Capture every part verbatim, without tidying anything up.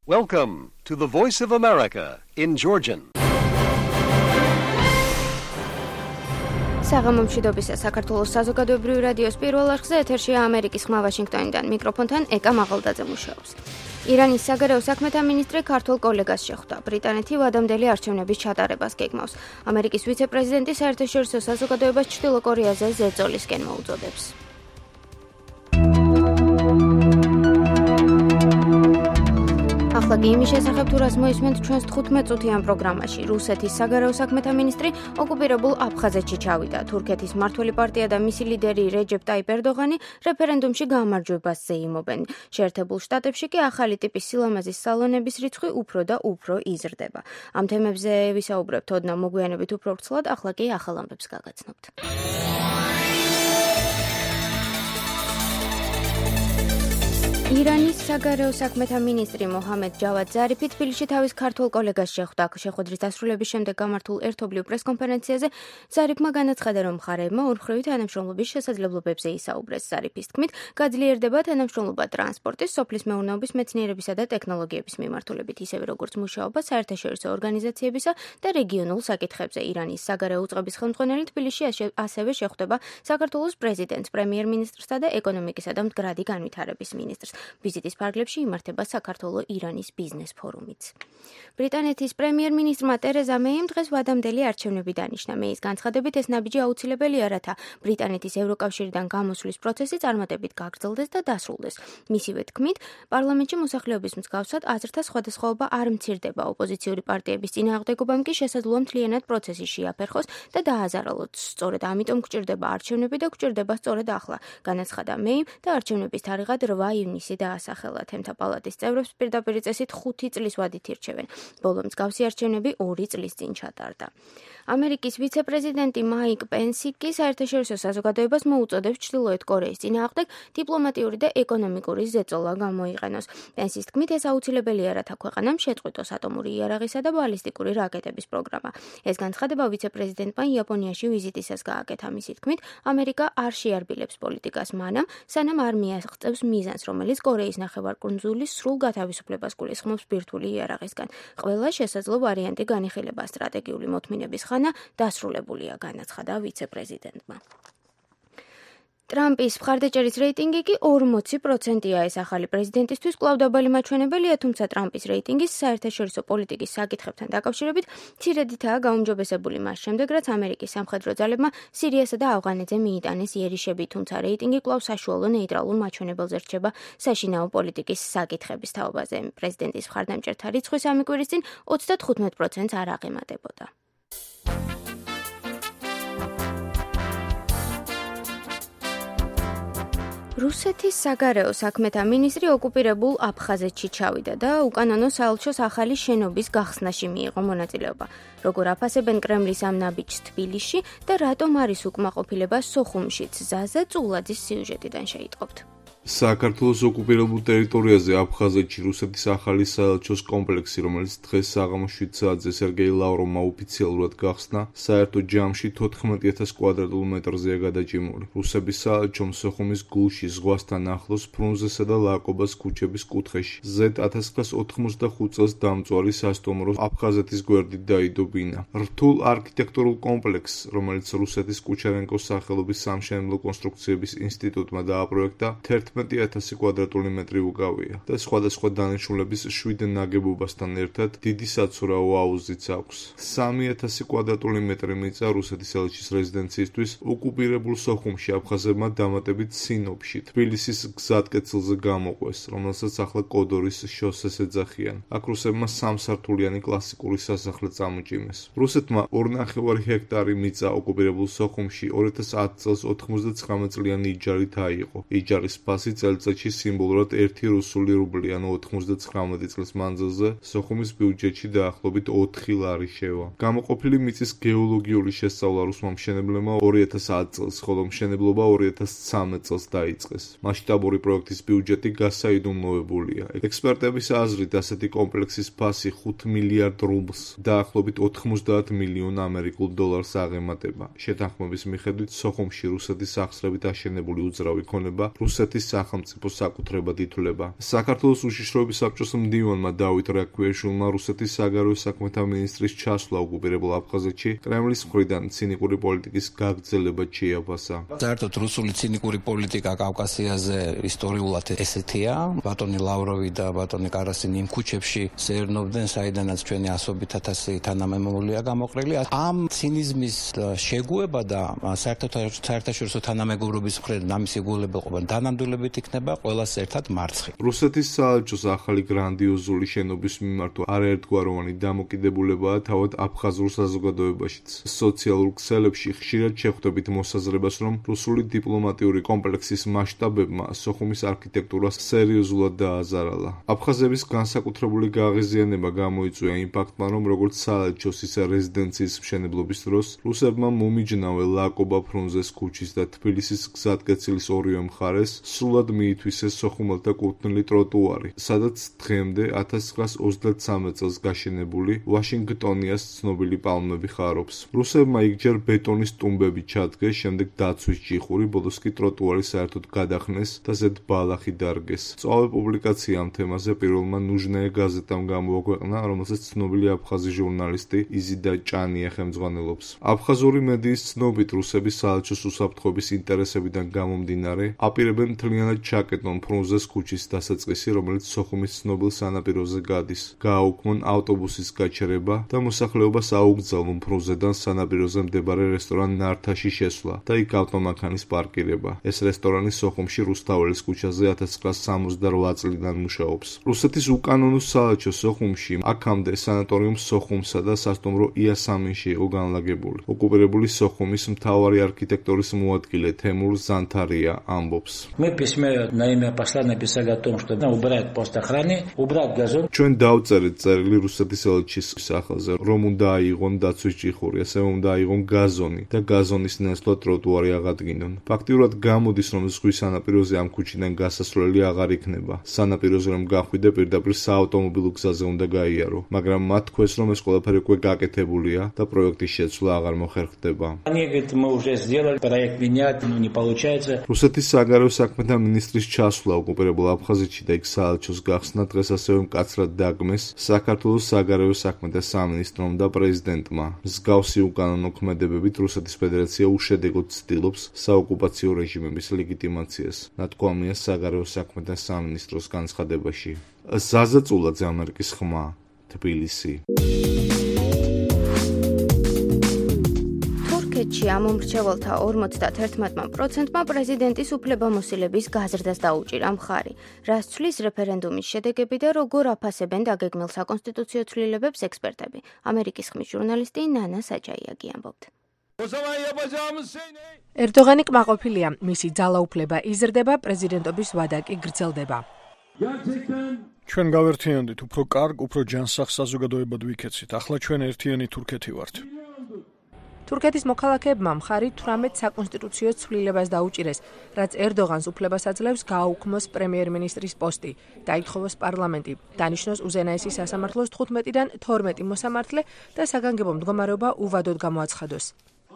Welcome to the Voice of America in Georgian. საღამო მშვიდობისა საქართველოს საზოგადოებრივი რადიოს პირველ არხზე ეთერშია ამერიკის ხმა ვაშინგტონიდან. მიკროფონთან ეკა მაღალდაძე მუშაობს. ირანის საგარეო საქმეთა მინისტრი ქართველ კოლეგას შეხვდა. ბრიტანეთი ვადამდელი არჩევნების ჩატარებას გეგმავს. ამერიკის ვიცე-პრეზიდენტი საერთაშორისო საზოგადოებას ჩრდილო კორეაზე ზეწოლისკენ მოუწოდებს. ახლა კი იმის შესახებ თუ რას მოისმენთ ჩვენს თხუთმეტ წუთიან პროგრამაში. რუსეთის საგარეო საქმეთა მინისტრი ოკუპირებულ აფხაზეთში ჩავიდა. თურქეთის მმართველი პარტია და მისი ლიდერი რეჯეპ ტაიპ ერდოღანი რეფერენდუმში გამარჯვებას ზეიმობენ. შეერთებულ შტატებში კი ახალი ტიპის სილამაზის სალონების რიცხვი უფრო და უფრო იზრდება. ამ თემებზე ვისაუბრებთ ოდნავ მოგვიანებით უფრო ვრცლად, ახლა კი ახალ ამბებს გაგაცნობთ. ირანის საგარეო საქმეთა მინისტრი მოჰამედ ჯავად ზარიფი თბილისში თავის ქართველ კოლეგას შეხვდა. შეხვედრის დასრულების შემდეგ გამართულ ერთობლივ პრესკონფერენციაზე ზარიფმა განაცხადა, რომ მხარეებმა ორმხრივი თანამშრომლობის შესაძლებლობებზე ისაუბრეს. ზარიფის თქმით, გაძლიერდება თანამშრომლობა ტრანსპორტის, სოფლის მეურნეობის, მეცნიერებისა და ტექნოლოგიების მიმართულებით, ისევე როგორც მუშაობა საერთაშორისო ორგანიზაციებისა და რეგიონულ საკითხებზე. ირანის საგარეო უწყების ხელმძღვანელი თბილისში ასევე შეხვდება საქართველოს პრეზიდენტს, პრემიერ-მინისტრსა და ეკონომიკისა და მდგრადი განვითარების მინისტრს. ვიზიტის ფარგლებში იმართება საქართველო-ირანის ბიზნეს ფორუმიც. ბრიტანეთის პრემიერ-მინისტრმა ტერეზა მეიმ დღეს ვადამდელი არჩევნები დანიშნა. მეის განცხადებით, ეს ნაბიჯი აუცილებელია, რათა ბრიტანეთის ევროკავშირიდან გამოსვლის პროცესი წარმატებით გაგრძელდეს და დასრულდეს. მისივე თქმით, პარლამენტში მოსახლეობის მსგავსად აზრთა სხვადასხვაობა არ მცირდება. ოპოზიციური პარტიების წინააღმდეგობამ კი შესაძლოა მთლიანად პროცესი შეაფერხოს და დააზარალოს. სწორედ ამიტომ გჭირდება არჩევნები და გჭირდება სწორედ ახლა, განაცხადა მეიმ და არჩევნების თარიღად რვა ივნისი დაასახელა. თემთა პალატის წევრებს პირდაპირ წესით ხუთი წლის ვადით ირჩევენ. ბოლო მსგავსი არჩევნები ორი წლის წინ ჩატარდა. ამერიკის ვიცე-პრეზიდენტი მაიკ პენსი კი საერთაშორისო საზოგადოებას მოუწოდებს ჩრდილოეთ კორეის წინააღმდეგ დიპლომატიური და ეკონომიკური ზეწოლა გამოიყენოს. პენსის თქმით, ეს აუცილებელია, რათა ქვეყანამ შეწყვიტოს ატომური იარაღისა და ბალისტიკური რაკეტების პროგრამა. ეს განცხადება ვიცე-პრეზიდენტმა იაპონიაში ვიზიტისას გააკეთა. მისი თქმით, ამერიკა არ შეარბილებს პოლიტიკას მანამ, სანამ არ მიაღწევს მიზანს, რომელიც კორეის ნახევარკუნძულის სრულ გათავისუფლებას გულისხმობს ბირთვული იარაღისგან. ყველა შესაძლო ვარიანტი განიხილება. სტრატეგიული მოთმინების ხანა დასრულებულია, განაცხადა ვიცე-პრეზიდენტმა. ტრამპის მხარდაჭერის რეიტინგი კი ორმოცი პროცენტია. ეს ახალი პრეზიდენტისთვის კვლავ დაბალი მაჩვენებელია, თუმცა ტრამპის რეიტინგის საერთაშორისო პოლიტიკის საკითხებთან დაკავშირებით მცირედითაა გაუმჯობესებული მას შემდეგ, რაც ამერიკის სამხედრო ძალებმა სირიასა და ავღანეთზე მიიტანეს იერიშები, თუმცა რეიტინგი კვლავ საშუალო ნეიტრალურ მაჩვენებელზე რჩება საშინაო პოლიტიკის საკითხების თაობაზე. პრეზიდენტის მხარდამჭერთა რიცხვი სამი კვირის წინ ოცდათხუთმეტ პროცენტს არ აღემატებოდა. რუსეთის საგარეო საქმეთა მინისტრი ოკუპირებულ აფხაზეთში ჩავიდა და უკანონო საელჩოს ახალი შენობის გახსნაში მიიღო მონაწილეობა. როგორ აფასებენ კრემლის ამ ნაბიჯს თბილისში და რატომ არის უკმაყოფილება სოხუმშიც? ზაზა წულაძის სიუჟეტიდან შეიტყობთ. საქართველოს ოკუპირებულ ტერიტორიაზე აფხაზეთში რუსეთის ახალი საელჩოს კომპლექსი, რომელიც დღეს საღამო შვიდ საათზე სერგეი ლავროვმა ოფიციალურად გახსნა, საერთო ჯამში თოთხმეტი ათას კვადრატულ მეტრზეა გადაჭიმული. რუსების საელჩომ სოხუმის გულში, ზღვასთან ახლოს, ფრუნზესა და ლაკობას ქუჩების კუთხეში, ზედ ათას ცხრაას ოთხმოცდახუთ წელს დამწვარი სასტუმრო აფხაზეთის გვერდით დაიდო ბინა. რთულ არქიტექტურულ კომპლექსს, რომელიც რუსეთის კუჩარენკოს სახელობის სამშენებლო კონსტრუქციების ინსტიტუტმა დააპროექტა, თერთმეტი ათასი კვადრატული მეტრი უკავია და სხვადასხვა დანიშნულების შვიდ ნაგებობასთან ერთად დიდი საცურაო აუზიც აქვს. სამი ათასი კვადრატული მეტრი მიწა რუსეთის ელჩის რეზიდენციისთვის ოკუპირებულ სოხუმში აფხაზებმა დამატებით სინოპში, თბილისის გზატკეცილზე გამოყვეს, რომელსაც ახლა კოდორის შოსეს ეძახიან. აქ რუსებმა სამსართულიანი კლასიკური სასახლე წამოჭიმეს. რუსეთმა ორნახევარი ჰექტარი მიწა ოკუპირებულ სოხუმში ორი ათას ათი წელს ოთხმოცდაცხრამეტ წლიანი იჯარით აიღო. იჯარის ფასი წელიწადში სიმბოლურად ერთი რუსული რუბლი, ანუ ოთხმოცდაცხრამეტი წლის მანძილზე სოხუმის ბიუჯეტში დაახლოებით ოთხი ლარი შევა. გამოყოფილი მიწის გეოლოგიური შესწავლა რუსმა მშენებლებმა ორი ათას ათი წელს, ხოლო მშენებლობა ორი ათას ცხრამეტ წელს დაიწყეს. მასშტაბური პროექტის ბიუჯეტი გასაიდუმლოებულია. ექსპერტების აზრით, ასეთი კომპლექსის ფასი ხუთ მილიარდ რუბლს, დაახლოებით ოთხმოცდაათ მილიონ ამერიკულ დოლარს აღემატება. შეთანხმების მიხედვით, სოხუმში რუსეთის სახსრებით აშენებული უძრავი ქონება რუსეთის სახელმწიფო საკუთრებად ითვლება. საქართველოს უშიშროების საბჭოს მდივანმა დავით რაქვიაშვილმა რუსეთის საგარეო საქმეთა მინისტრის ჩასვლა ოკუპირებულ აფხაზეთში კრემლის მხრიდან ცინიკური პოლიტიკის გაგრძელება შეაფასა. საერთოდ რუსული ცინიკური პოლიტიკა კავკასიაზე ისტორიულად ესეთია. ბატონი ლავროვი და ბატონი კარასინი იმ ქუჩებში სეირნობდნენ, საიდანაც ჩვენი ასობით ათასი თანამემამულია გამოყრილი. ამ ცინიზმის შეგუება და საერთაშორისო თანამეგობრობის მხრიდან ამის იგულება დანამდვილებით იქნება ყველას ერთად მარცხი. რუსეთის საელჩოს ახალი გრანდიოზული შენობის მიმართ არაერთგვაროვანი დამოკიდებულებაა თავად აფხაზურ საზოგადოებაშიც. სოციალურ ქსელებში ხშირად შეხვდებით მოსაზრებას, რომ რუსული დიპლომატიური კომპლექსის მასშტაბებმა სოხუმის არქიტექტურას სერიოზულად დააზარალა. აფხაზების განსაკუთრებული გაღიზიანება გამოიწვია იმ ფაქტმა, რომ როგორც საელჩოს ისე რეზიდენციის მშენებლობის დროს რუსებმა მომიჯნავე ლაკობა ფრუნზეს ქუჩის და თბილისის გზატკეცილის ორივე მხარეს სრულად მიითვისეს სოხუმელთა კუთვნილი ტროტუარი, სადაც დღემდე ათას ცხრაას ოცდათსამე წელს გაშენებული ვაშინგტონიას ცნობილი პალმები ხარობს. რუსებმა იგჯერ ბეტონის ტუმბები ჩადგეს, შემდეგ დაცვის ჯიხური, ბოლოს კი ტროტუარი საერთოდ გადახნეს და ზედ ბალახი დარგეს. სწავლე პუბლიკაცია ამ თემაზე პირველმა ნუჟნაია გაზეტამ გამოაქვეყნა, რომელსაც ცნობილი აფხაზი ჟურნალისტი იზიდა ჭანია ხელმძღვანელობს. აფხაზური მედიის ცნობით რუსების საელჩოს უსაფრთხოების ინტერესებიდან გამომდინარე, აპირებენ მთლიანად ჩაკეტონ ფრუნზეს ქუჩის დასაწყისი, რომელიც სოხუმის ცნობილ სანაპიროზე გადის. გააუქმონ ავტობუსის გაჩერება და მოსახლეობას აუგზავნონ ფრუნზედან სანაპიროზე მდებარე რესტორან ნართაში შესვლა და იქ ავტომანქანის პარკირება. ეს რესტორანი სოხუმში რუსთაველის ქუჩაზე ათას ცხრაას სამოცდაოთხ წლიდან მუშაობს. რუსეთის უკანონო საელჩო სოხუმში აქამდე სანატორიუმ სოხუმსა და სასტუმრო იასამინში იყო განლაგებული. ოკუპირებული სოხუმის მთავარი არქიტექტორის მოადგილე თემურ ზანთარია ამბობს. Мы в письме на имя посла написали о том, что убрать пост охраны, убрать газон. ჩვენ დავწერეთ წერილი რუსეთის ელჩის სახელზე, რომ უნდა აიღონ დაცვის ჯიხური, ასევე უნდა აიღონ გაზონი და გაზონის ნაცვლად ტროტუარი აღადგინონ. ფაქტიურად გამოდის, რომ ზღვის სანაპიროზე ამ ქუჩიდან გასასვლელი აღარ იქნება. სანაპიროზე რომ გახვიდე, პირდაპირ საავტომობილო გზაზე უნდა გაიარო, მაგრამ მათ თქვეს, რომ ეს ყველაფერი უკვე გაკეთებულია და პროექტის შეცვლა აღარ მოხერხდება. Они говорят, мы уже сделали проект менять, но не получается. რუსეთის საგარეო საქმეთა მინისტრის ჩასვლა ოკუპირებულ აფხაზეთში და იქ საელჩოს გახსნა დღეს ასევე მკაცრად დაგმეს საქართველოს საგარეო საქმეთა სამინისტრომ და პრეზიდენტმა. მსგავსი უკანონო ქმედებებით რუსეთის ფედერაცია უშედეგოდ ცდილობს საოკუპაციო რეჟიმების ლეგიტიმაციას, ნათქვამია საგარეო საქმეთა სამინისტროს განცხადებაში. ზაზა წულაძე, ამერიკის ხმა, თბილისი. თურქეთში ამომრჩეველთა ორმოცდაათი პროცენტმა პრეზიდენტის უფლებამოსილების გაზრდას დაუჭირა მხარი, რაც ცვლის რეფერენდუმის შედეგები და როგორ აფასებენ დაგეგმილ საკონსტიტუციო ცვლილებებს ექსპერტები. ამერიკის ხმის ჟურნალისტი ნანა საჯაიაგი ამბობთ. ერდოღანი კმაყოფილია, მისი ძალაუფლება იზრდება, პრეზიდენტობის ვადა კი გრძელდება. ჩვენ გავერთიანდით უფრო კარგ, უფრო ჯანსაღ საზოგადოებად ვიქეცით. ახლა ჩვენ ერთიანი თურქეთი ვართ. თურქეთის მოქალაქეებმა მხარი თვრამეტ საკონსტიტუციო ცვლილებას დაუჭირეს, რაც ერდოღანს უფლებას აძლევს გააუქმოს პრემიერ-მინისტრის პოსტი, დაითხოვოს პარლამენტი, დანიშნოს უზენაესი სასამართლოს თხუთმეტიდან თორმეტი მოსამართლე და საგანგებო მდგომარეობა უვადოდ გამოაცხადოს.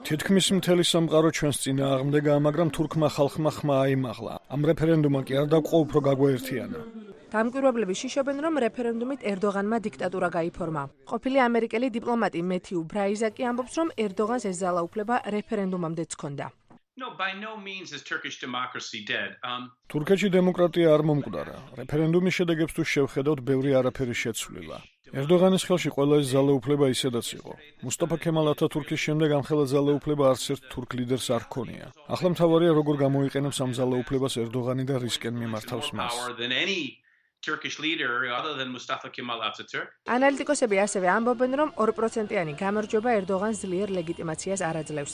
თითქმის მთელი სამყარო ჩვენს წინააღმდეგაა, მაგრამ თურქმა ხალხმა ხმა აიმაღლა. ამ რეფერენდუმმა კი არ დაგვყო უფრო გაგვაერთიანა. დამკვირვებლები შიშობენ, რომ რეფერენდუმით ერდოღანმა დიქტატურა გაიფორმა. ყოფილი ამერიკელი დიპლომატი მეთიუ ბრაიზაკი ამბობს, რომ ერდოღანს ეს ძალაუფლება რეფერენდუმამდეც ჰქონდა. No, by no means is Turkish democracy dead. Um თურქეთში დემოკრატია არ მომკვდარა. რეფერენდუმის შედეგებს თუ შევხედავთ, ბევრი არაფერი შეცვლილა. ერდოღანის ხელში ყველა ეს ძალაუფლება ისედაც იყო. მუსტაფა ქემალ ათათურქის შემდეგ ამ ხელა ძალაუფლება არც ერთ თურქ ლიდერს არ ჰქონია. ახლა მთავარია როგორ გამოიყენებს ამ ძალაუფლებას ერდოღანი და რისკენ მიმართავს მას. Turkish leader other than Mustafa Kemal Atatürk. ანალიტიკოსები ასევე ამბობენ, რომ ორ პროცენტიანი გამარჯვება ერდოღანს ძლიერ ლეგიტიმაციას არ აძლევს.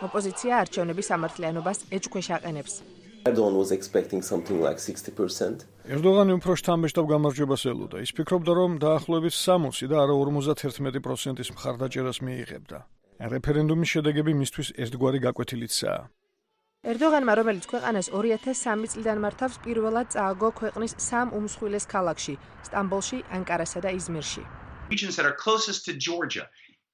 ოპოზიცია არჩევნების სამართლიანობას ეჭქვეშ აყენებს. Erdogan was expecting something like sixty percent. ერდოღანი უფრო შთამბეჭდავ გამარჯვებას ელოდა. ის ფიქრობდა, რომ დაახლოებით სამოცი და არა ორმოცდაათი პროცენტის მხარდაჭერას მიიღებდა. რეფერენდუმის შედეგები მისთვის ერთგვარი გაკვეთილიცაა. ერდოღანმა, რომელიც ქვეყანას ორი ათას სამი წლიდან მართავს, პირველად წააგო ქვეყნის სამ უმსხვილეს ქალაქში, სტამბოლში, ანკარასა და იზმირში. Regions that are closest to Georgia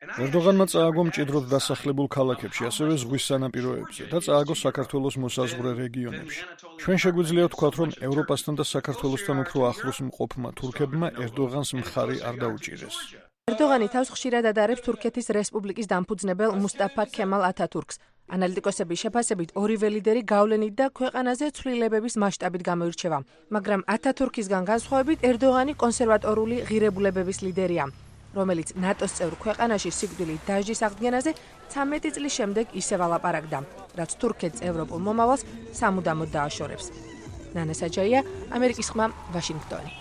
ერდოღანმა წააგო მჭიდროდ დასახლებულ ქალაქებში, ასევე ზღვის სანაპიროებზე და წააგო საქართველოს მოსაზღვრე რეგიონებში. ჩვენ შეგვიძლია ვთქვათ, რომ ევროპასთან და საქართველოსთან უფრო ახლოს მყოფმა თურქებმა ერდოღანს მხარი არ დაუჭირეს. ერდოღანი თავს ხშირად ადარებს თურქეთის რესპუბლიკის დამფუძნებელ მუსტაფა ქემალ ათათურქს. ანალიტიკოსების შეფასებით ორივე ლიდერი გავლენით და ქვეყანაზე ცვლილებების მასშტაბით გამოირჩევა, მაგრამ ათათურქისგან განსხვავებით ერდოღანი კონსერვატორული ღირებულებების ლიდერია, რომელიც ნატოს წევრ ქვეყანაში სიკვდილით დასჯის აღდგენაზე ცამეტი წლის შემდეგ ისევ ალაპარაკდა, რაც თურქეთს ევროპულ მომავალს სამუდამოდ დააშორებს. ნანა საჯაია, ამერიკის ხმა, ვაშინგტონი.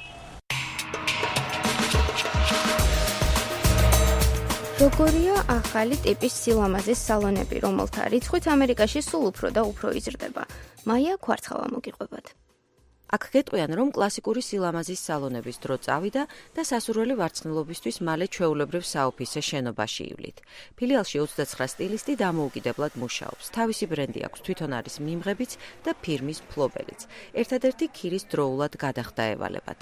როგორია ახალი ტიპის სილამაზის სალონები, რომელთა რიცხვიც ამერიკაში სულ უფრო და უფრო იზრდება? მაია ქვარცხავა მოგიყვებათ. აქ გეტყვიან, რომ კლასიკური სილამაზის სალონების დრო წავიდა და სასურველი ვარცხნილობისთვის მალე ჩვეულებრივ საოფისე შენობაში ივლით. ფილიალში ოცდაცხრა სტილისტი დამოუკიდებლად მუშაობს. თავისი ბრენდი აქვს, თვითონ არის მიმღებიც და ფირმის მფლობელიც. ერთადერთი ქირის დროულად გადახდა ევალებათ.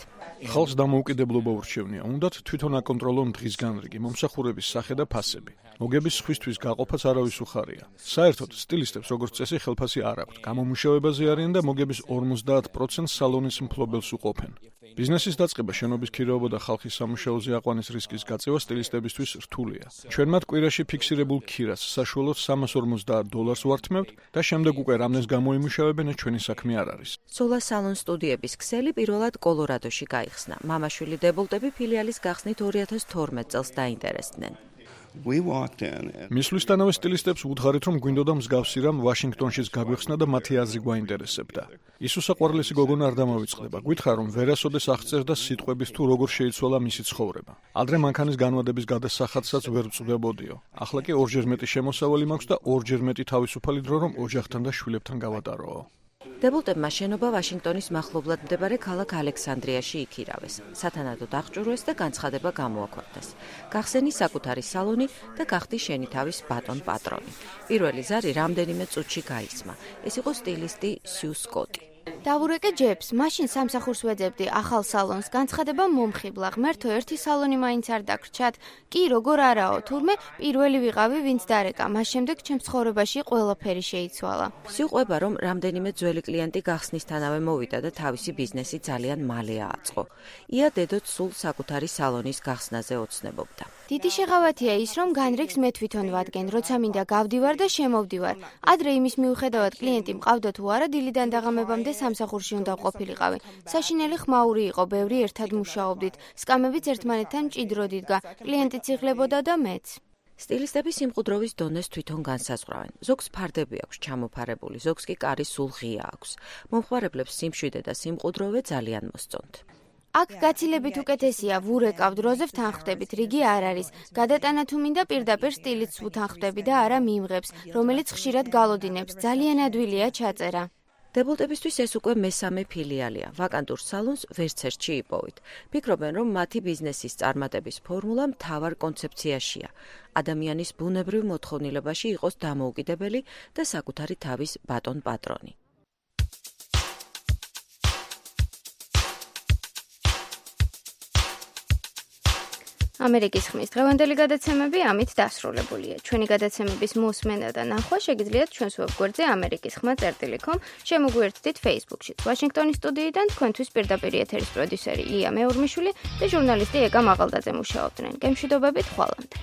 ხალხს დამოუკიდებლობა ურჩევნია, უნდათ თვითონ აკონტროლონ დღის განრიგი, მომსახურების სახე და ფასები. მოგების სხვისთვის გაყოფაც არავის უხარია. საერთოდ სტილისტებს როგორც წესი ხელფასი არ აქვთ. გამომუშავებაზე არიან და მოგების ორმოცდაათ პროცენტს სალონის მფლობელს უყოფენ. ბიზნესის დაწყება, შენობის ქირაობა და ხალხის სამუშაოზე აყვანის რისკის გაწევა სტილისტებისთვის რთულია. ჩვენ მათ კვირაში ფიქსირებულ ქირას საშუალოდ სამას ორმოცდაათ დოლარს ვართმევთ და შემდეგ უკვე რამდენს გამოიმუშავებენ, ჩვენი საქმე არ არის. სოლა სალონ სტუდიების ქსელი პირველად კოლორადოში გაიხსნა. მამაშვილი დებულტები ფილიალის გახსნით ორი ათას თორმეტ წელს დაინტერესდნენ. მისვლისთანავე სტილისტებს უთხარით, რომ გვინდოდა მსგავსი რამ ვაშინგტონშიც გაგვეხსნა და მათი აზრი გვაინტერესებდა. ის უსაყვარლესი გოგონა არ დამოვიწყდება. გვითხრა, რომ ვერასოდეს აღწერდა სიტყვების თუ როგორ შეიცვალა მისი ცხოვრება. ადრე მანქანის განვადების გადასახადსაც ვერ ვწვდებოდიო. ახლა კი ორჯერ მეტი შემოსავალი მაქვს და ორჯერ მეტი თავისუფალი დრო, რომ ოჯახთან და შვილებთან გავატაროო. დებულტებმა შენობა ვაშინგტონის მახლობლად მდებარე ქალაქ ალექსანდრიაში იქირავეს. სათანადოდ აღჭურვეს და განცხადება გამოაქვეყნეს. გახსენი საკუთარი სალონი და გახდი შენი თავის ბატონ პატრონი. პირველი ზარი რამდენიმე წუთში გაისმა. ეს იყო სტილისტი სიუ სკოტი. დავურეკე ჯებს, მაშინ სამსახურს ვეძებდი ახალ სალონს, განცხადება მომხიბლა, ღმერთო, ერთი სალონი მაინც არ დაგრჩათ. კი, როგორ არაო, თურმე პირველი ვიყავი, ვინც დარეკა, მას შემდეგ ჩემს ცხოვრებაში ყველაფერი შეიცვალა. სიუყვება, რომ რამდენიმე ძველი კლიენტი გახსნისთანავე მოვიდა და თავისი ბიზნესი ძალიან მალე ააწყო. ია დედოც სულ საკუთარი სალონის გახსნაზე ოცნებობდა. დიდი შეღავათია ის, რომ განრიგს მე თვითონ ვადგენ, როცა მინდა გავდივარ და შემოვდივარ. ადრე იმის მიუხედავად კლიენტი მყავდა თუ არა, დილიდან დაღამებამდე სამსახურში უნდა ყოფილიყავი. საშინელი ხმაური იყო, ბევრი ერთად მუშაობდით. სკამებიც ერთმანეთთან მჭიდროდ იდგა. კლიენტიც იღლებოდა და მეც. სტილისტები სიმყუდროვის დონეს თვითონ განსაზღვრავენ. ზოგს ფარდები აქვს ჩამოფარებული, ზოგს კი კარი სულ ღია აქვს. მომხმარებლებს სიმშვიდე და სიმყუდროვე ძალიან მოსწონთ. აქ გაცილებით უკეთესია, ვურეკავ დროზე ვთანხმდებით, რიგი არ არის. გადატანა თუ მინდა პირდაპირ სტილისტს ვთანხმდები და არა მიმღებს, რომელიც ხშირად გალოდინებს. ძალიან ადვილია ჩაწერა. დებულტებისთვის ეს უკვე მესამე ფილიალია. ვაკანტურ სალონს ვერც ერთში იპოვით. ფიქრობენ, რომ მათი ბიზნესის წარმატების ფორმულა მთავარ კონცეფციაშია. ადამიანის ბუნებრივ მოთხოვნილებაში იყოს დამოუკიდებელი და საკუთარი თავის ბატონ პატრონი. ამერიკის ხმის დღევანდელი გადაცემები ამით დასრულებულია. ჩვენი გადაცემების მოსმენა და ნახვა შეგიძლიათ ჩვენს ვებგვერდზე ამერიკის ხმა წერტილი კომ, შემოგვიერთდით Facebook-ში. ვაშინგტონის სტუდიიდან თქვენთვის პირდაპირ ეთერის პროდიუსერი ია მეურმიშვილი და ჟურნალისტი ეკა მაღალდაძე მუშაობდნენ. გემშვიდობებით ხვალამდე.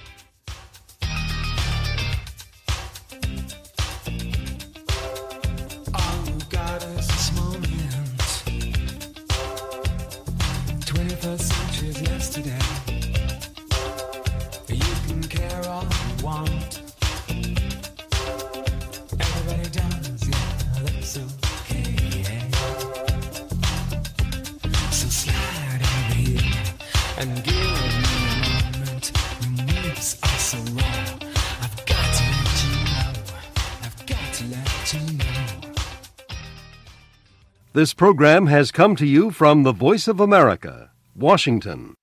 And give me a moment. Your moves are so raw. I've got to let you know. I've got to let you know. This program has come to you from the Voice of America, Washington.